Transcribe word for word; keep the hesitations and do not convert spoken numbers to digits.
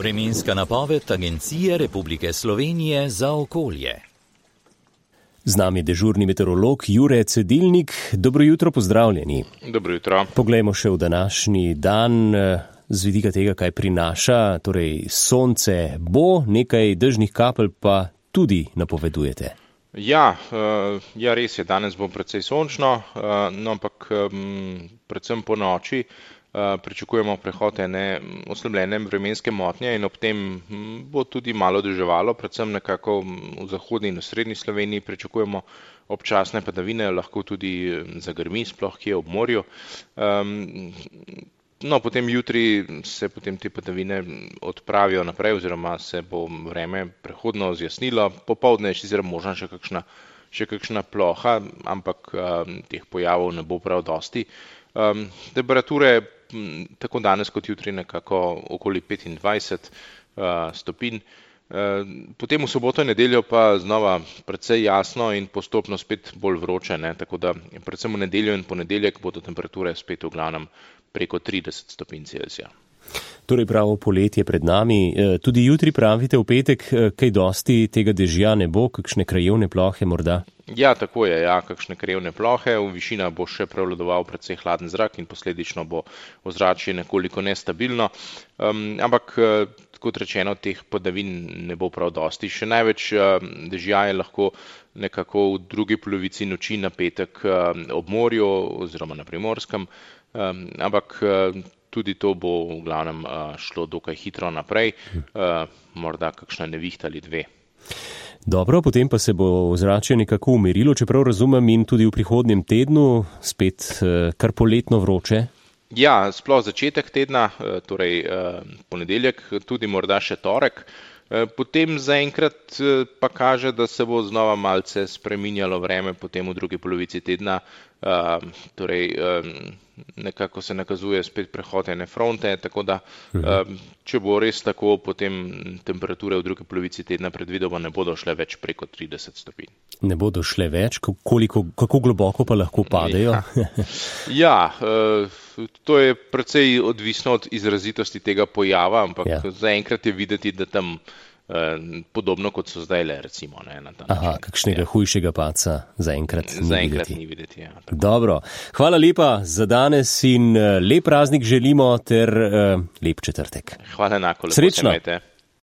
Vremenska napoved Agencije Republike Slovenije za okolje. Z nami je dežurni meteorolog Jure Cedilnik. Dobro jutro, pozdravljeni. Dobro jutro. Poglejmo še v današnji dan z vidika tega, kaj prinaša. Torej, sonce bo, nekaj dežnih kapelj pa tudi napovedujete. Ja, ja, res je, danes bo precej sončno, no, ampak predvsem po noči pričakujemo prehod ene oslabljene vremenske motnje in ob tem bo tudi malo deževalo, predvsem nekako v zahodni in v srednji Sloveniji pričakujemo občasne padavine, lahko tudi zagrmi, sploh kje ob morju. No, potem jutri se potem te padavine odpravijo naprej oziroma se bo vreme prehodno zjasnilo, popoldne je sicer možna še kakšna, še kakšna ploha, ampak teh pojavov ne bo prav dosti. Temperature tako danes kot jutri nekako okoli petindvajset stopinj. Potem v soboto in nedeljo pa znova precej jasno in postopno spet bolj vroče, ne? Tako da predvsem v nedeljo in ponedeljek bodo temperature spet v glavnem preko trideset stopinj Celzija. Torej pravo poletje pred nami. Tudi jutri pravite v petek, kaj dosti tega dežja ne bo, kakšne krajevne plohe morda? Ja, tako je, ja, kakšne krajevne plohe, v višina bo še prevladoval precej hladen zrak in posledično bo ozračje nekoliko nestabilno, um, ampak kot rečeno, teh padavin ne bo prav dosti. Še največ dežja je lahko nekako v drugi polovici noči na petek ob morju oziroma na Primorskem, um, ampak tudi to bo v glavnem šlo dokaj hitro naprej, uh, morda kakšna nevihta ali dve. Dobro, potem pa se bo ozračje nekako umirilo, čeprav razumem, in tudi v prihodnjem tednu spet uh, kar poletno vroče. Ja, sploh začetek tedna, torej uh, ponedeljek, tudi morda še torek. Potem zaenkrat pa kaže, da se bo znova malce spreminjalo vreme potem v drugi polovici tedna, uh, torej um, nekako se nakazuje spet prehod ene fronte, tako da um, če bo res tako, potem temperature v drugi polovici tedna predvidoma ne bodo šle več preko trideset stopinj. Ne bodo šle več? Koliko, kako globoko pa lahko padejo? Ja, ja uh, to je precej odvisno od izrazitosti tega pojava, ampak ja. Zaenkrat je videti, da tam podobno kot so zdaj le, recimo. Ne, na ta Aha, kakšnega ja. hujšega paca zaenkrat ni zaenkrat videti. Ni videti ja, Dobro. Hvala lepa za danes in lep praznik želimo ter uh, lep četrtek. Hvala enako. Srečno.